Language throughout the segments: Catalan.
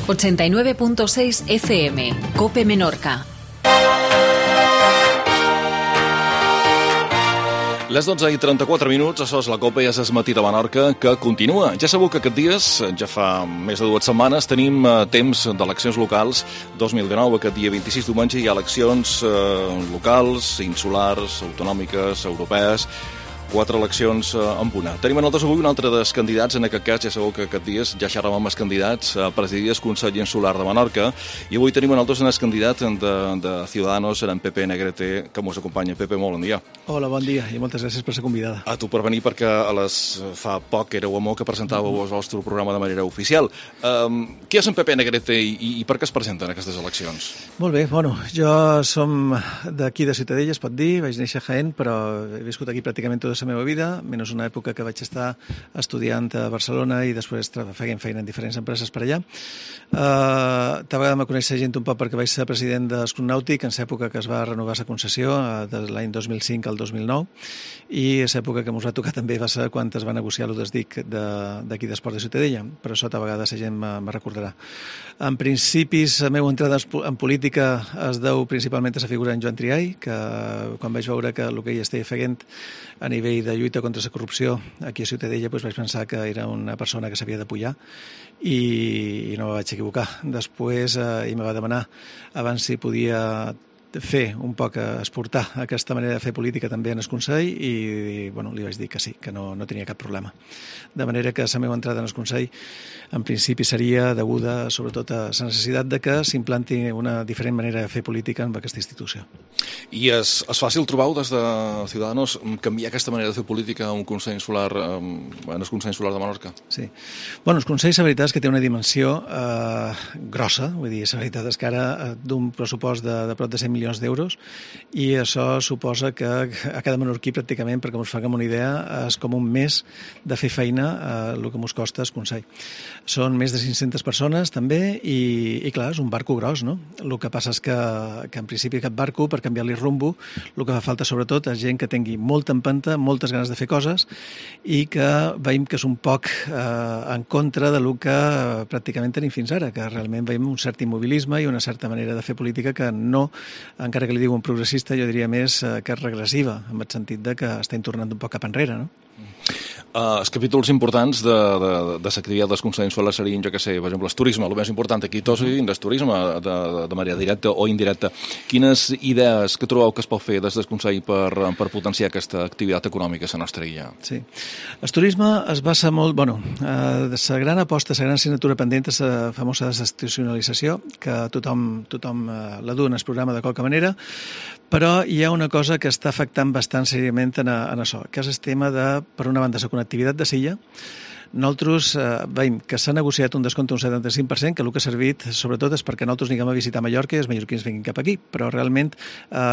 89.6 FM, COPE Menorca. Les 12:34, això és la COPE, ja és matí de Menorca, que continua. Ja sabeu que aquests dies, ja fa més de 2 setmanes, tenim temps d'eleccions locals 2019. Aquest dia 26 diumenge hi ha eleccions locals, insulars, autonòmiques, europees, 4 eleccions en una. Tenim a nosaltres avui un altre dels candidats, en aquest cas ja sabeu que aquests dies ja xerràvem amb els candidats a presidir el Consell Insular de Menorca, i avui tenim a nosaltres un candidat de Ciudadanos, en Pepe Negrete, que ens acompanya. Pepe, molt bon dia. Hola, bon dia, i moltes gràcies per ser convidada. A tu per venir, perquè fa poc éreu a que presentàveu el vostre programa de manera oficial. Qui és en Pepe Negrete i per què es presenten aquestes eleccions? Molt bé, jo som d'aquí de Ciutadella, es pot dir, vaig néixer a Jaén, però he viscut aquí pràcticament tota la meva vida, menys una època que vaig estar estudiant a Barcelona i després fent feina en diferents empreses per allà. Tal vegada me coneix gent un poc perquè vaig ser president d'Escut Nàutic en l'època que es va renovar la concessió, de l'any 2005 al 2009, i l'època que ens va tocar també va ser quan es va negociar el desdic d'aquí d'Esport de Ciutadella, però això tal vegada la gent me recordarà. En principis, la meva entrada en política es deu principalment a la figura d'en Joan Triay, que quan vaig veure que el que ell estava fent a nivell de lluita contra la corrupció aquí a Ciutadella, vaig pensar que era una persona que s'havia d'apoyar i no me vaig equivocar. Després ell me va demanar abans si podia fer un poc, exportar aquesta manera de fer política també en el Consell i li vaig dir que sí, que no tenia cap problema. De manera que la meva entrada en el Consell en principi seria deguda sobretot a la necessitat de que s'implanti una diferent manera de fer política en aquesta institució. I és fàcil trobar des de Ciudadanos canviar aquesta manera de fer política en un Consell Insular, en el Consell Insular de Menorca? Sí. El Consell, la veritat és que té una dimensió grossa, vull dir, la veritat és que ara d'un pressupost de prop de 100 milions d'euros, i això suposa que a cada menorquí pràcticament, perquè ens faguem una idea, és com un mes de fer feina el que ens costa el Consell. Són més de 500 persones també i clar, és un barco gros, no? El que passa és que en principi aquest barco, per canviar-li rumbo, el que fa falta sobretot és gent que tingui molta empenta, moltes ganes de fer coses i que veiem que és un poc en contra del que pràcticament tenim fins ara, que realment veiem un cert immobilisme i una certa manera de fer política que no, encara que li diuen progressista, jo diria més que és regressiva, en el sentit de que estem tornant un poc cap enrere, no? Els capítols importants de l'activitat dels consells insulars serien, jo què sé, per exemple, el turisme, el més important aquí tots dins del turisme, de manera directa o indirecta. Quines idees que trobeu que es pot fer des del Consell per potenciar aquesta activitat econòmica a la nostra illa? Sí. El turisme es basa molt, la gran aposta, la gran assignatura pendent és la famosa desinstitucionalització, que tothom la du en el programa de qualque manera, però hi ha una cosa que està afectant bastant seriament en això, que és el tema de, per una banda, la connectivitat de l'illa. Nosaltres veiem que s'ha negociat un descompte d'un 75%, que el que ha servit sobretot és perquè nosaltres anem a visitar Mallorca i els mallorquins vinguin cap aquí, però realment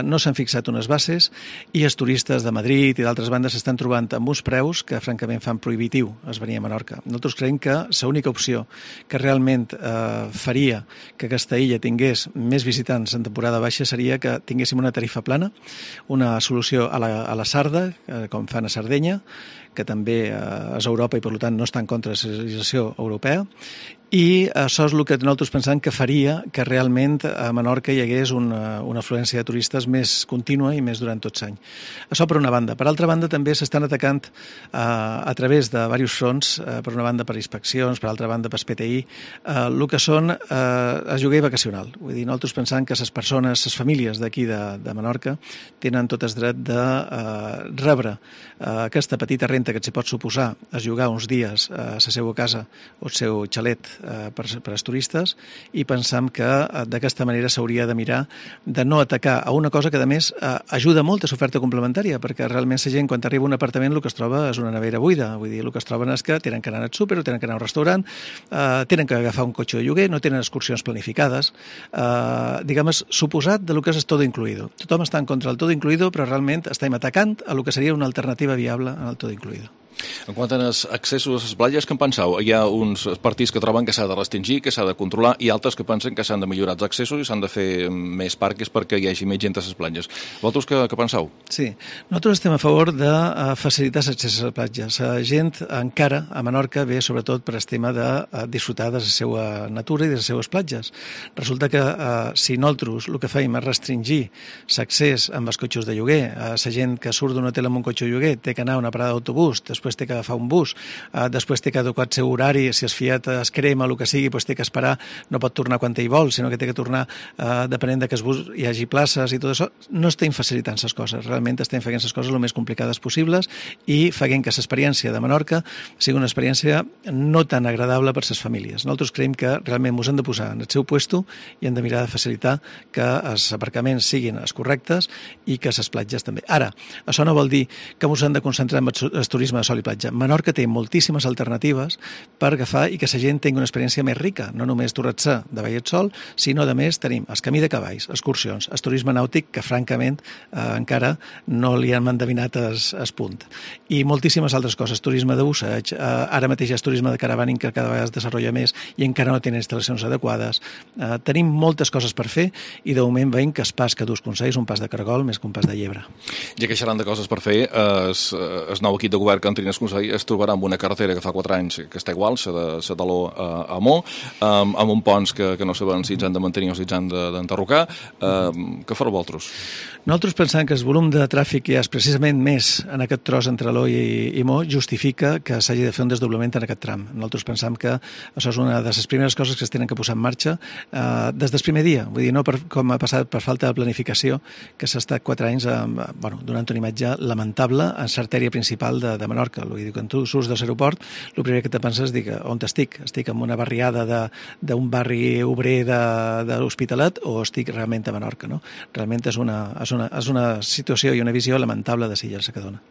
no s'han fixat unes bases i els turistes de Madrid i d'altres bandes s'estan trobant amb uns preus que francament fan prohibitiu es venir a Menorca. Nosaltres creiem que l'única opció que realment faria que aquesta illa tingués més visitants en temporada baixa seria que tinguéssim una tarifa plana, una solució a la Sarda, com fan a Sardenya, que també és Europa i per tant no està en contra de la legislació europea, i això és el que nosaltres pensem que faria que realment a Menorca hi hagués una afluència de turistes més contínua i més durant tot l'any. Això per una banda. Per altra banda també s'estan atacant a través de diversos fronts, per una banda per inspeccions, per altra banda per PTI, el que són el lloguer vacacional. Vull dir, nosaltres pensem que les persones, les famílies d'aquí de Menorca tenen tot el dret de rebre aquesta petita renta que s'hi pot suposar a llogar uns dies a la seva casa o el seu xalet per als turistes, i pensam que d'aquesta manera s'hauria de mirar de no atacar a una cosa que a més ajuda molt a l'oferta complementària, perquè realment la gent quan arriba a un apartament el que es troba és una nevera buida, vull dir, el que es troben és que tenen que anar al súper o tenen que anar a un restaurant, tenen que agafar un cotxe de lloguer, no tenen excursions planificades, diguem, suposat de lo que és todo incluido. Tothom està en contra del todo incluido, però realment estem atacant a lo que seria una alternativa viable al todo incluido. En quant als accessos a les platges, què en penseu? Hi ha uns partits que troben que s'ha de restringir, que s'ha de controlar, i altres que pensen que s'han de millorar els accessos i s'han de fer més parques perquè hi hagi més gent a les platges. Vosaltres què penseu? Sí, nosaltres estem a favor de facilitar l'accés a les platges. La gent encara a Menorca ve sobretot per el tema de disfrutar de la seva natura i de les seves platges. Resulta que si nosaltres el que fèiem és restringir l'accés amb els cotxes de lloguer, la gent que surt d'un hotel amb un cotxe de lloguer té que anar a una parada d'autobús, després té que agafar un bus, després té que adequar el seu horari, si es fiat es crema o el que sigui, doncs té que esperar, no pot tornar quan ell vol, sinó que té que tornar depenent de que el bus hi hagi places i tot això. No estem facilitant les coses, realment estem fent les coses el més complicades possibles i fent que l'experiència de Menorca sigui una experiència no tan agradable per a les famílies. Nosaltres creiem que realment ens hem de posar en el seu puesto i hem de mirar de facilitar que els aparcaments siguin els correctes i que les platges també. Ara, això no vol dir que ens hem de concentrar en el turisme de sol i platja. Menorca té moltíssimes alternatives per agafar i que la gent tingui una experiència més rica, no només Torratxà de Vall Sol, sinó a més tenim el camí de cavalls, excursions, el turisme nàutic, que francament encara no li han endevinat el punt. I moltíssimes altres coses, turisme de busseig, ara mateix és turisme de caravaning que cada vegada es desenvolupa més i encara no tenen instal·lacions adequades. Tenim moltes coses per fer i de moment veiem que el pas que dus Consell és un pas de cargol més que un pas de llebre. Ja que xerrant de coses per fer, el nou equip de govern que en Trines Consell es trobarà amb una carretera que fa 4 anys que està igual, la de Saló a Mó, amb un ponts que no saben si ens han de mantenir o si ens han d'enderrocar. Què fareu vosaltres? Nosaltres pensem que el volum de tràfic que hi ha precisament més en aquest tros entre Aló i Mó justifica que s'hagi de fer un desdoblament en aquest tram. Nosaltres pensam que això és una de les primeres coses que es tenen que posar en marxa des del primer dia, vull dir, no com ha passat per falta de planificació, que s'ha estat 4 anys donant una imatge lamentable en l'artèria principal de Menorca. Vull dir, quan tu surts de l'aeroport, el primer que te penses és on estic? Estic en una barriada d'un barri obrer de l'Hospitalet o estic realment a Menorca, no? Realment és una situació i una visió lamentable de Silla que dona.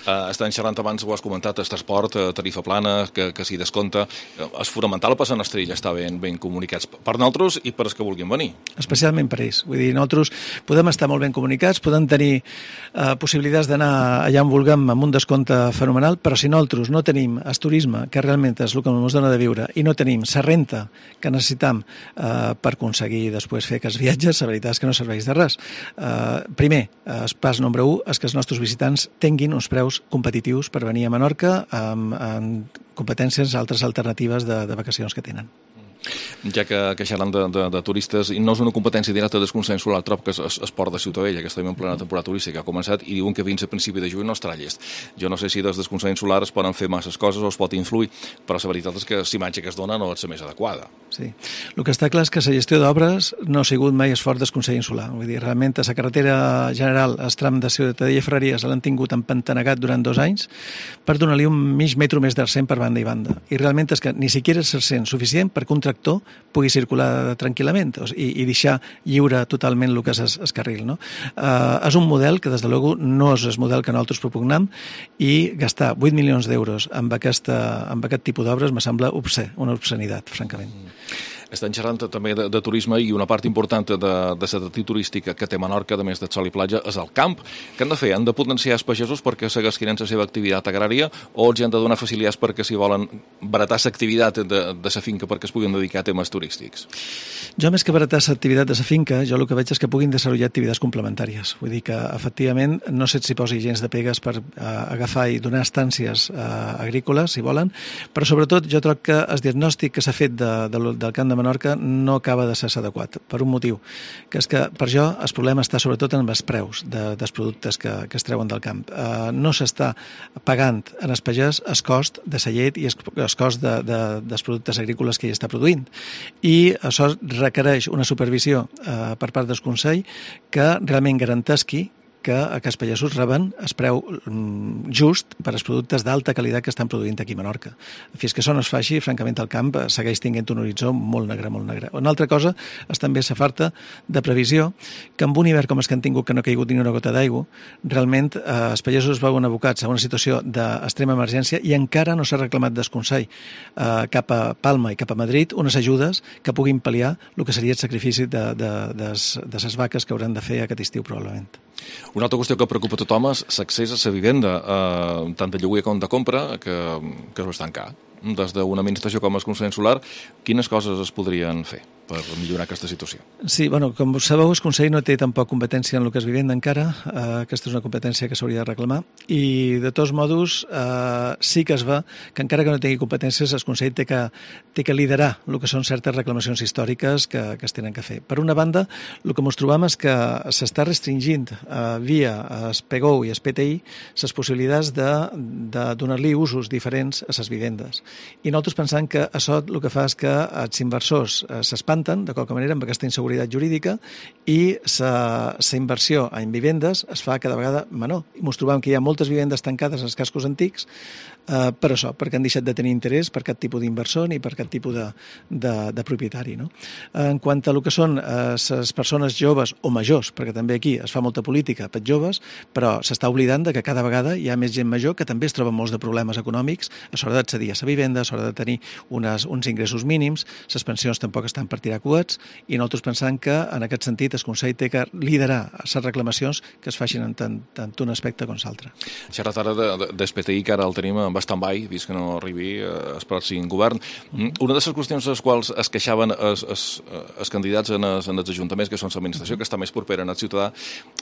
Estan xerrant abans, ho has comentat, el transport, tarifa plana, que s'hi descompta. És fonamental per la Estrella estar ben comunicats per nosaltres i per els que vulguin venir. Especialment per ells. Vull dir, nosaltres podem estar molt ben comunicats, podem tenir possibilitats d'anar allà on vulguem amb un descompte fenomenal, però si nosaltres no tenim el turisme, que realment és el que ens dona de viure, i no tenim la renta que necessitam per aconseguir després fer aquests viatges, la veritat és que no serveix de res. Primer, el pas número 1 és que els nostres visitants tinguin uns preus competitius per venir a Menorca amb competències altres alternatives de vacacions que tenen. Ja que xerran de turistes, i no és una competència directa del Consell Solar, trob que és Port de Ciutadella, que estem en plena temporada turística, ha començat, i diuen que fins a principi de juny no estarà llest. Jo no sé si des del Consell Solar es poden fer masses coses o es pot influir, però la veritat és que l'imatge que es dona no és la més adequada. Sí. El que està clar és que la gestió d'obres no ha sigut mai esforç del Consell Insular. Vull dir, realment a la carretera general, el tram de Ciutadella i Ferreries l'han tingut empantanegat durant 2 anys per donar-li un mig metro més d'arsent per banda i banda. I realment és que ni siquiera és arsent suficient perquè un tractor pugui circular tranquil·lament i deixar lliure totalment el que és el carril. No? És un model que, des de luego, no és el model que nosaltres propugnam i gastar 8 milions d'euros amb aquest tipus d'obres me sembla obscè, una obscenitat, francament. Estan xerrant també de turisme i una part important de l'atractiu turística que té Menorca, a més de sol i platja, és el camp. Què han de fer? Han de potenciar els pagesos perquè segueixin la seva activitat agrària o els han de donar facilitats perquè si volen baratar l'activitat de la finca perquè es puguin dedicar a temes turístics? Jo, més que baratar l'activitat de la finca, jo el que veig és que puguin desenvolupar activitats complementàries. Vull dir que, efectivament, no sé si posi gens de pegues per agafar i donar estàncies agrícoles, si volen, però sobretot jo trobo que el diagnòstic que s'ha fet del camp de Menorca no acaba de ser adequat, per un motiu, que és que per jo el problema està sobretot en els preus dels productes que es treuen del camp. No s'està pagant en el pagès el cost de la llet i el cost dels productes agrícoles que hi està produint. I això requereix una supervisió per part del Consell que realment garanteixi que aquests pagesos reben el preu just per als productes d'alta qualitat que estan produint aquí a Menorca. Fins que això no es faci, francament, el camp segueix tinguent un horitzó molt negre, molt negre. Una altra cosa és també la falta de previsió que amb un hivern com els que han tingut, que no ha caigut ni una gota d'aigua, realment els pagesos es veuen abocats a una situació d'extrema emergència i encara no s'ha reclamat del Consell cap a Palma i cap a Madrid unes ajudes que puguin pal·liar el que seria el sacrifici de les vaques que hauran de fer aquest estiu, probablement. Una altra qüestió que preocupa a tothom és l'accés a la vivenda, tant de lloguer com de compra, que és bastant car. Des d'una administració com el Consell Solar, quines coses es podrien fer per millorar aquesta situació? Sí, com sabeu, el Consell no té tampoc competència en el que és vivenda encara. Aquesta és una competència que s'hauria de reclamar. I, de tots modos, sí que es va que encara que no tingui competències, el Consell té que liderar el que són certes reclamacions històriques que es tenen que fer. Per una banda, el que ens trobam és que s'està restringint via el PGO i el PTI les possibilitats de donar-li usos diferents a les vivendes. I nosaltres pensem que això el que fa és que els inversors s'espanten, de qualque manera, amb aquesta inseguretat jurídica i la inversió en vivendes es fa cada vegada menor. I ens trobem que hi ha moltes vivendes tancades als cascos antics per això, perquè han deixat de tenir interès per cap tipus d'inversor ni per cap tipus de propietari. No? En quant a el que són les persones joves o majors, perquè també aquí es fa molta política per joves, però s'està oblidant que cada vegada hi ha més gent major que també es troba molts de problemes econòmics a l'hora d'accedir a la vivenda, a l'hora de tenir uns ingressos mínims, les pensions tampoc estan per tirar coets, i nosaltres pensem que en aquest sentit el Consell té que liderar les reclamacions que es facin en tant un aspecte com l'altre. Xerrat ara del PTI, que ara el tenim en stand-by, vist que no arribi el pròxim govern. Una de les qüestions a les quals es queixaven els candidats en els ajuntaments, que són l'administració, que està més propera al ciutadà,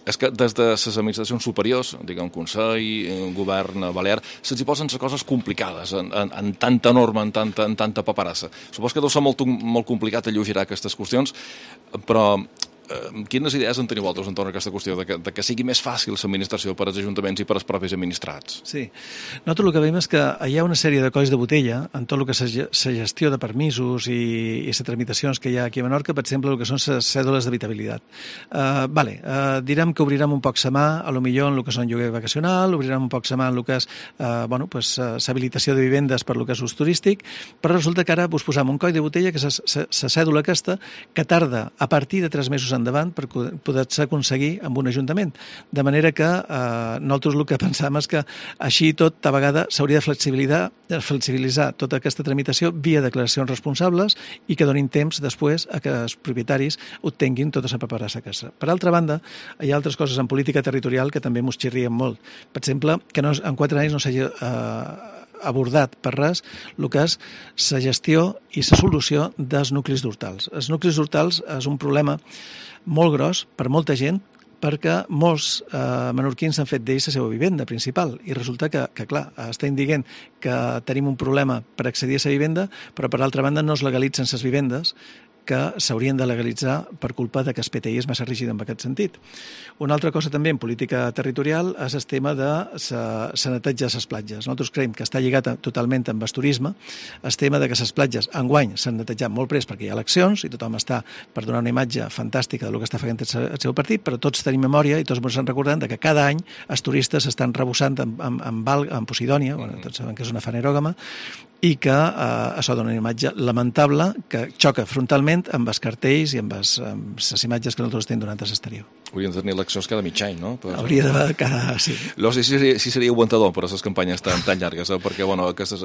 és que des de les administracions superiors, diguem Consell, govern balear, se'ls hi posen les coses complicades, en tanta norma, en tanta paperassa. Supos que deu ser molt complicat alleugerar aquestes qüestions, però quines idees en teniu vosaltres entorn a aquesta qüestió de que sigui més fàcil l'administració per als ajuntaments i per als propis administrats? Sí. Nosaltres el que veiem és que hi ha una sèrie de colls de botella en tot el que és la gestió de permisos i les tramitacions que hi ha aquí a Menorca, per exemple, el que són les cèdules d'habitabilitat. Direm que obrirem un poc la mà, a lo millor en el que són lloguer vacacional, obrirem un poc la mà en el que és l'habilitació de vivendes per el que és ús turístic, però resulta que ara us posam un coll de botella, que és la cèdula aquesta, que tarda a partir de 3 mesos endavant per poder-se aconseguir amb un ajuntament. De manera que nosaltres el que pensam és que així tot, a vegada, s'hauria de flexibilitzar tota aquesta tramitació via declaracions responsables i que donin temps després a que els propietaris obtenguin tota la paperassa que és. Per altra banda, hi ha altres coses en política territorial que també ens xirrien molt. Per exemple, que en 4 anys no s'hagi abordat per res el que és la gestió i la solució dels nuclis d'hortals. Els nuclis d'hortals és un problema molt gros per molta gent, perquè molts menorquins han fet d'ells la seva vivenda principal i resulta que clar, estem dient que tenim un problema per accedir a la vivenda, però per altra banda no es legalitzen les vivendes que s'haurien de legalitzar per culpa que el PTI és massa rígid en aquest sentit. Una altra cosa també en política territorial és el tema de la neteja de les platges. Nosaltres creiem que està lligat totalment amb el turisme, el tema de que les platges enguany s'han netejat molt prest perquè hi ha eleccions i tothom està per donar una imatge fantàstica del que està fent el seu partit, però tots tenim memòria i tots ens recordem que cada any els turistes s'estan rebussant amb Posidònia, tots saben que és una fanerògama, i que això dona una imatge lamentable que xoca frontalment amb els cartells i amb les imatges que nosaltres estem donant a l'exterior. Haurien de tenir eleccions cada mig any, no? Hauria d'haver cada... sí. No sé si seria aguantador per a les campanyes tan llargues, perquè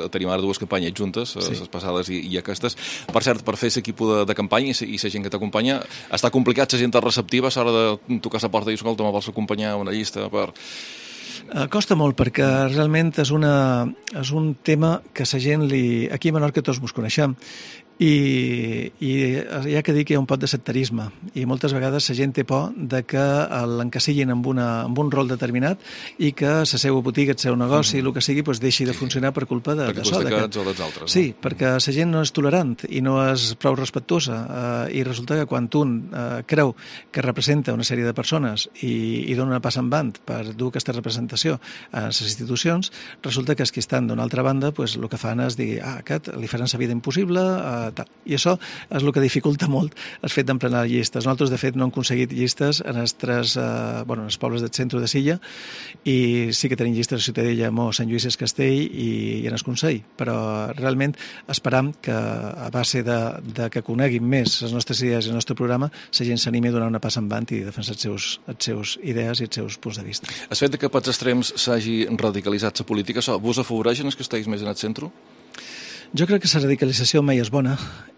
tenim ara 2 campanyes juntes, les passades i aquestes. Per cert, per fer l'equip de campanya i la gent que t'acompanya, està complicat, la gent receptiva a l'hora de tocar la porta i dir, escolta, me vols acompanyar una llista per... Costa molt perquè realment és un tema que la gent aquí a Menorca tots ens coneixem i hi ha que dir que hi ha un pot de sectarisme i moltes vegades la gent té por de que l'encasillin amb un rol determinat i que la seva botiga, el seu negoci, el que sigui, deixi de funcionar per culpa de perquè això. Perquè tu dels altres. Sí, perquè la gent no és tolerant i no és prou respectuosa i resulta que quan un creu que representa una sèrie de persones i dona una passa en band per dur aquesta representació a les institucions, resulta que els que estan d'una altra banda el que fan és dir, aquest li faran la vida impossible, tal. I això és el que dificulta molt el fet d'emplenar llistes. Nosaltres, de fet, no hem aconseguit llistes en els pobles del centre de Silla i sí que tenim llistes a Ciutadella, Mó, Sant Lluís Castell i en el Consell, però realment esperam que a base de que coneguin més les nostres idees i el nostre programa, la gent s'animi a donar una passa en avant i defensar les seus idees i els seus punts de vista. El fet que pels extrems s'hagi radicalitzat la política, això vos afavoreix en els que estigueu més en el centre? Jo crec que la radicalització mai és bona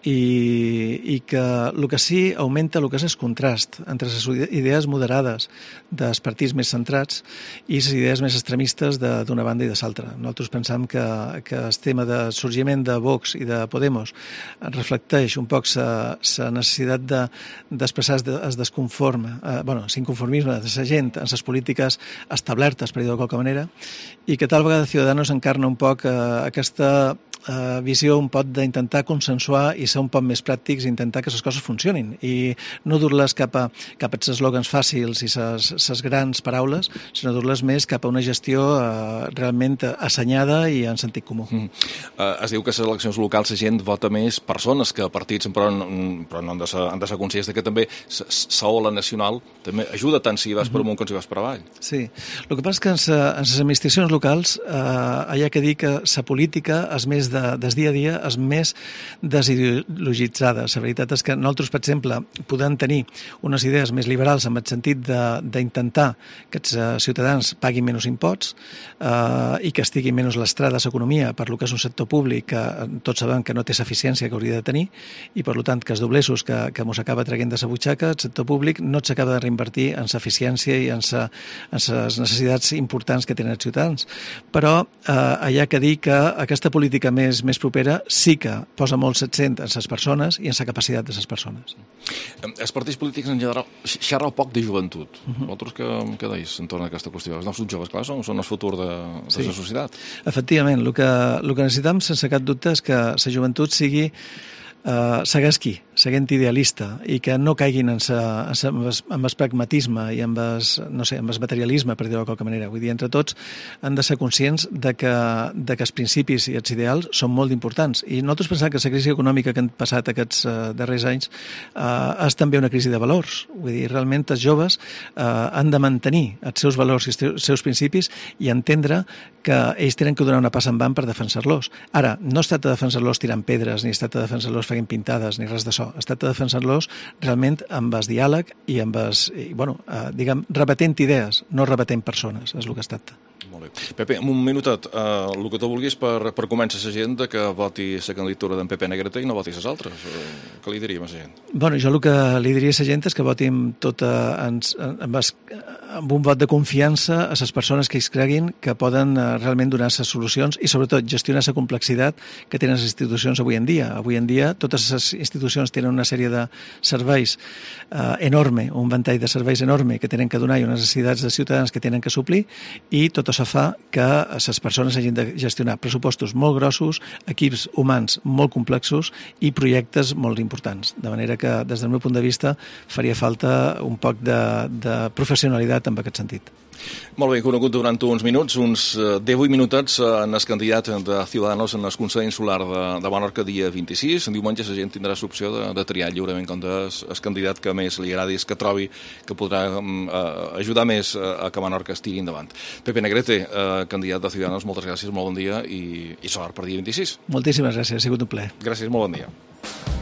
i que el que sí augmenta el que és el contrast entre les idees moderades dels partits més centrats i les idees més extremistes d'una banda i de l'altra. Nosaltres pensam que el tema de sorgiment de Vox i de Podemos reflecteix un poc la necessitat d'expressar el desconforme, l'inconformisme de la gent en les polítiques establertes, per dir-ho de qualque manera, i que tal vegada Ciudadanos encarna un poc aquesta visió un poc d'intentar consensuar i ser un poc més pràctics i intentar que les coses funcionin i no dur-les cap als eslògans fàcils i les grans paraules, sinó dur-les més cap a una gestió realment assenyada i en sentit comú. Es diu que a les eleccions locals la gent vota més persones que partits, però no han de ser conscients que també la ola nacional també ajuda tant si vas per amunt com si vas per avall. Sí, el que passa és que en les administracions locals hi ha que dir que la política és més des dia a dia és més desideologitzada. La veritat és que nosaltres, per exemple, podem tenir unes idees més liberals en el sentit d'intentar que els ciutadans paguin menys imposts i que estigui menys l'estrada a l'economia per lo que és un sector públic que tots sabem que no té l'eficiència que hauria de tenir i, per tant, que els doblesos que mos acaba traient de la butxaca, el sector públic no s'acaba de reinvertir en l'eficiència i en les necessitats importants que tenen els ciutadans. Però hi ha que dir que aquesta política més propera sí que posa molt l'accent en les persones i en la capacitat de les persones. Els partits polítics en general xerren poc de joventut. Vosaltres què deis entorn a aquesta qüestió? Els nostres joves, clar, són el futur de la societat. Efectivament, el que necessitem sense cap dubte és que la joventut seguint idealista i que no caiguin en el pragmatisme i en el materialisme, per dir-ho de qualque manera. Vull dir, entre tots han de ser conscients de que els principis i els ideals són molt importants. I nosaltres pensem que la crisi econòmica que han passat aquests darrers anys és també una crisi de valors. Vull dir, realment els joves han de mantenir els seus valors i els seus principis i entendre que ells tenen que donar una passa en van per defensar-los. Ara, no es tracta de defensar-los tirant pedres, ni es tracta de defensar-los fent pintades, ni res d'això. Es tracta de defensar-los realment amb el diàleg i amb rebatent idees, no rebatent persones, és el que es tracta. Molt bé. Pepe, un minutet, el que tu vulguis per convèncer la gent que voti la candidatura d'en Pepe Negrete i no voti les altres. Què li diríem a la gent? Bueno, jo el que li diria a la gent és que votin amb un vot de confiança a les persones que ells creguin que poden realment donar les solucions i sobretot gestionar la complexitat que tenen les institucions avui en dia. Avui en dia totes les institucions tenen una sèrie de serveis enorme, un ventall de serveis enorme que tenen que donar i unes necessitats de ciutadans que tenen que suplir i tot això fa que les persones hagin de gestionar pressupostos molt grossos, equips humans molt complexos i projectes molt importants. De manera que, des del meu punt de vista, faria falta un poc de professionalitat en aquest sentit. Molt bé, conegut durant uns minuts, uns 18 minutets en el candidat de Ciudadanos en el Consell Insular de Menorca dia 26. En diumenge la gent tindrà l'opció de triar lliurement com el candidat que més li agradi, que trobi que podrà ajudar més a que Menorca estigui endavant. Pepe Negrete, candidat de Ciudadanos, moltes gràcies, molt bon dia i sort per dia 26. Moltíssimes gràcies, ha sigut un plaer. Gràcies, molt bon dia.